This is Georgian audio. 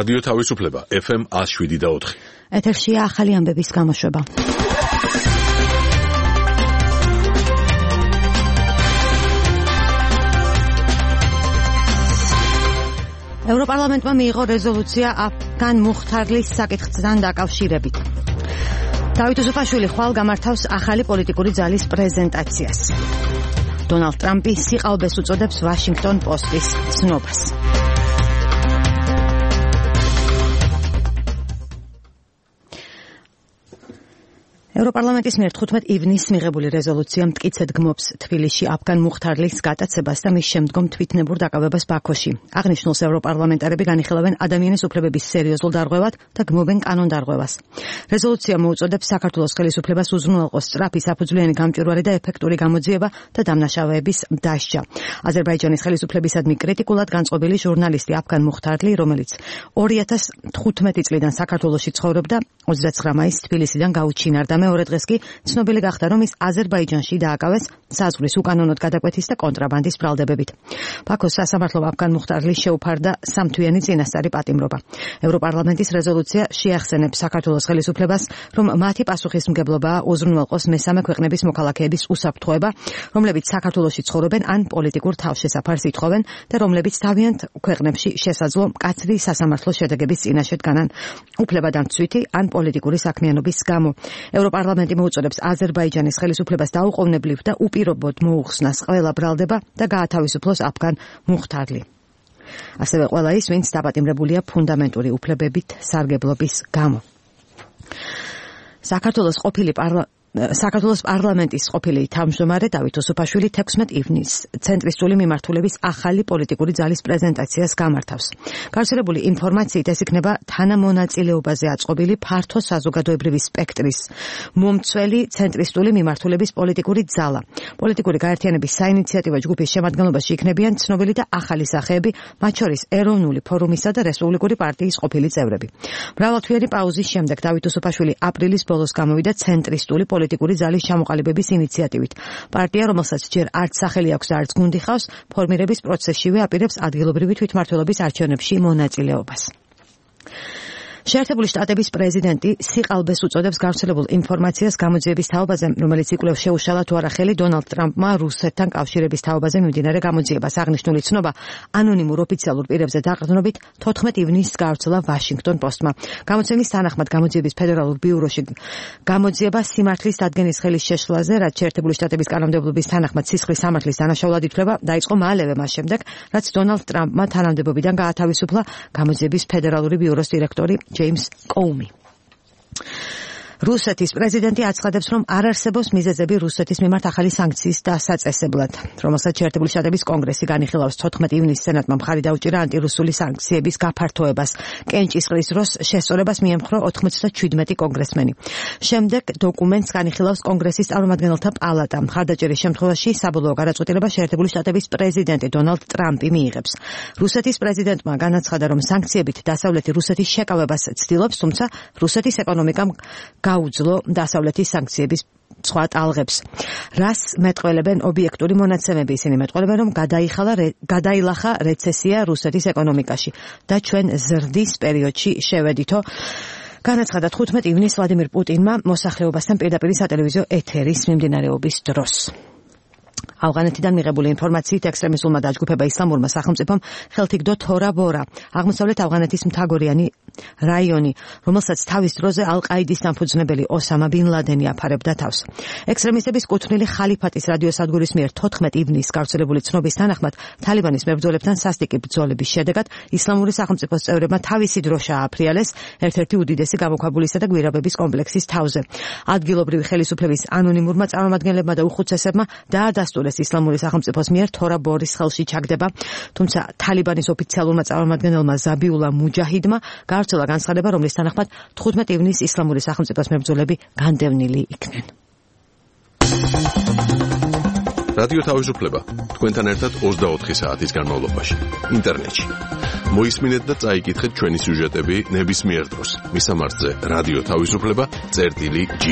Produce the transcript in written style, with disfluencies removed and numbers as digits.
რადიო თავისუფლება FM 107.4. ეთერშია ახალი ამბების გამოშვება. ევროპარლამენტმა მიიღო რეზოლუცია აფგან მუხთარლის საკითხთან დაკავშირებით. დავით უსუფაშვილი ხვალ გამართავს ახალი პოლიტიკური ძალის პრეზენტაციას. დონალდ ტრამპი სიყალბეს უწოდებს ვაშინგტონ პოსტის ცნობას. ევროპარლამენტის მიერ 15 ივნისს მიღებული რეზოლუცია მტკიცედ გმობს თბილისში აფგან მუხთარლის გატაცებას და მის შემდგომ თვითნებურ დაკავებას ბაქოში. აღნიშნულს ევროპარლამენტარები განიხილავენ ადამიანის უფლებების სერიოზულ დარღვევად და გმობენ კანონდარღვევას. რეზოლუცია მოუწოდებს საქართველოს ხელისუფლებას უზრუნველყოს სწრაფი საფუძვლიანი გამჭვირვალე და ეფექტური გამოძიება და დამნაშავეების დასჯა. აზერბაიჯანის ხელისუფლებისადმი კრიტიკულად განწყობილი ჟურნალისტი აფგან მუხთარლი, რომელიც 2015 წლიდან საქართველოში ცხოვრობდა, 29 მაისს თბილისიდან გაუჩინარდა. მეორე დღეს კი ცნობილი გახდა, რომ ის აზერბაიჯანში დააკავეს საზღვრის უკანონოდ გადაკვეთის და კონტრაბანდის ბრალდებებით. ბაქოს სასამართლომ აფგან მუხთარლის შეუფარდა სამთვიანი წინასწარი პატიმრობა. ევროპარლამენტის რეზოლუცია შეახსენებს საქართველოს ხელისუფლებას, რომ მათი პასუხისმგებლობაა უზრუნველყოს მესამე ქვეყნების მოქალაქეების უსაფრთხოება, რომლებიც საქართველოში ცხოვრობენ ან პოლიტიკურ თავშესაფარს ითხოვენ და რომლებიც თავიანთ ქვეყნებში შესაძლო მკაცრი სასამართლო შედეგების წინაშე დგანან უფლებადამცვითი ან პოლიტიკური საქმიანობის გამო. ევროპარლამენტი მოუწოდებს აზერბაიჯანის ხელისუფლებას დაუყოვნებლივ და უპირობოდ მოუხსნას ყველა ბრალდება და გაათავისუფლოს აფგან მუხთარლი. ასევე ყველა ის, ვინც დაპატიმრებულია ფუნდამენტური უფლებებით სარგებლობის გამო. საქართველოს პარლამენტის ყოფილი თავმჯდომარე დავით უსუფაშვილი 16 ივნისს ცენტრისტული მიმართულების ახალი პოლიტიკური ძალის პრეზენტაციას გამართავს. გავრცელებული ინფორმაციით ეს იქნება თანამონაწილეობაზე აწყობილი ფართო საზოგადოებრივი სპექტრის მომცველი ცენტრისტული მიმართულების პოლიტიკური ძალა. პოლიტიკური გაერთიანების საინიციატივო ჯგუფის შემადგენლობაში იქნებიან ცნობილი და ახალი სახეები, მათ შორის ეროვნული ფორუმისა და რესპუბლიკური პარტიის ყოფილი წევრები. მრავალთვიანი პაუზის შემდეგ დავით უსუფაშვილი აპრილის ბოლოს გამოვიდა ცენტრისტული პოლიტიკური ძალის ჩამოყალიბების ინიციატივით. პარტია, რომელსაც ჯერ არც სახელი აქვს და არც გუნდი ხავს, ფორმირების პროცესშივე აპირებს ადგილობრივი თვითმმართველობის არჩევნებში მონაწილეობას. შეერთებული შტატების პრეზიდენტი სიყალბეს უწოდებს გავრცელებულ ინფორმაციას გამოძიების თაობაზე, რომელიც იკვლევს შეუშალა თუ არა ხელი დონალდ ტრამპმა რუსეთთან კავშირების თაობაზე მიმდინარე გამოძიებას. აღნიშნული ცნობა ანონიმურ ოფიციალურ პირებზე დაყრდნობით 14 ივნისს გავრცელა ვაშინგტონ პოსტმა. გამოცემის თანახმად გამოძიების ფედერალურ ბიუროში გამოძიება სიმართლის დადგენის ხელის შეშლაზე, რაც შეერთებული შტატების კანონმდებლობის თანახმად სისხლის სამართლის დანაშაულად ითვლება, დაიწყო მალევე მას შემდეგ, რაც დონალდ ტრამპმა თანამდებობიდან გაათავისუფლა გამოძიების ფედერალური ბიუროს დირექტორი ჯეიმს კოუმი. რუსეთის პრეზიდენტი აცხადებს, რომ არ არსებობს მიზეზები რუსეთის მიმართ ახალი სანქციის დასაწესებლად, რომელსაც შეერთებული შტატების კონგრესი განიხილავს. 14 ივნისს სენატმა მხარი დაუჭირა ანტირუსული სანქციების გაფართოებას. კენჭისყრის დროს შესწორებას მიემხრო 97 კონგრესმენი. შემდეგ დოკუმენტს განიხილავს კონგრესის წარმომადგენელთა პალატა. მხარდაჭერის შემთხვევაში საბოლოო გადაწყვეტილება შეერთებული შტატების პრეზიდენტი დონალდ ტრამპი მიიღებს. რუსეთის პრეზიდენტმა განაცხადა, რომ სანქციებით დასავლეთი რუსეთის შეკავებას ცდილობს, თუმცა რუსეთის ეკონომიკამ გაუძლო დასავლეთის სანქციების სხვა ტალღებს. რას მეტყველებენ ობიექტური მონაცემები? ისინი მეტყველებენ, რომ გადაილახა რეცესია რუსეთის ეკონომიკაში და ჩვენ ზრდის პერიოდში შევედითო. განაცხადა 15 ივნისს ვლადიმირ პუტინმა მოსახლეობასთან პირდაპირ სატელევიზიო ეთერის მიმდინარეობის დროს. ავღანეთიდან მიღებული ინფორმაციით ექსტრემისტულმა დაჯგუფება ისლამურმა სახელმწიფომ ხელთიგდო თორა ბორა, აღმოსავლეთ ავღანეთის მთაგორიანი რაიონი, რომელსაც თავის დროზე ალ-ყაიდის დამფუძნებელი ოსამა ბინ ლადენი აფარებდა თავს. ექსტრემისტების კუთვნილი ხალიფატის რადიოსადგურის მიერ 14 ივნისს გავრცელებული ცნობის თანახმად, თალიბანის მებრძოლებთან სასტიკი ბრძოლების შედეგად ისლამური სახელმწიფოს წევრებმა თავისი დროშა ააფრიალეს ერთ-ერთი უდიდესი გამოქვაბულისა და გვირაბების კომპლექსის თავზე. ადგილობრივი ხელისუფლების ანონიმურმა წარმომადგენლებმა და უხუცესებმა დაადასტურეს ისლამური სახელმწიფოს მიერ თორა ბორის ხელში ჩაგდება, თუმცა თალიბანის ოფიციალურმა წარმომადგენელმა ზაბიულა მუჯაჰიდმა გავრცელა განცხადება, რომლის თანახმად 15 ივნისს ისლამური სახელმწიფოს მებრძოლები განდევნილი იქნენ. რადიო თავისუფლება თქვენთან ერთად 24 საათის განმავლობაში ინტერნეტში. მოისმინეთ და წაიკითხეთ ჩვენი სიუჟეტები ნებისმიერ დროს. მისამართზე რადიო თავისუფლება წერტილი G.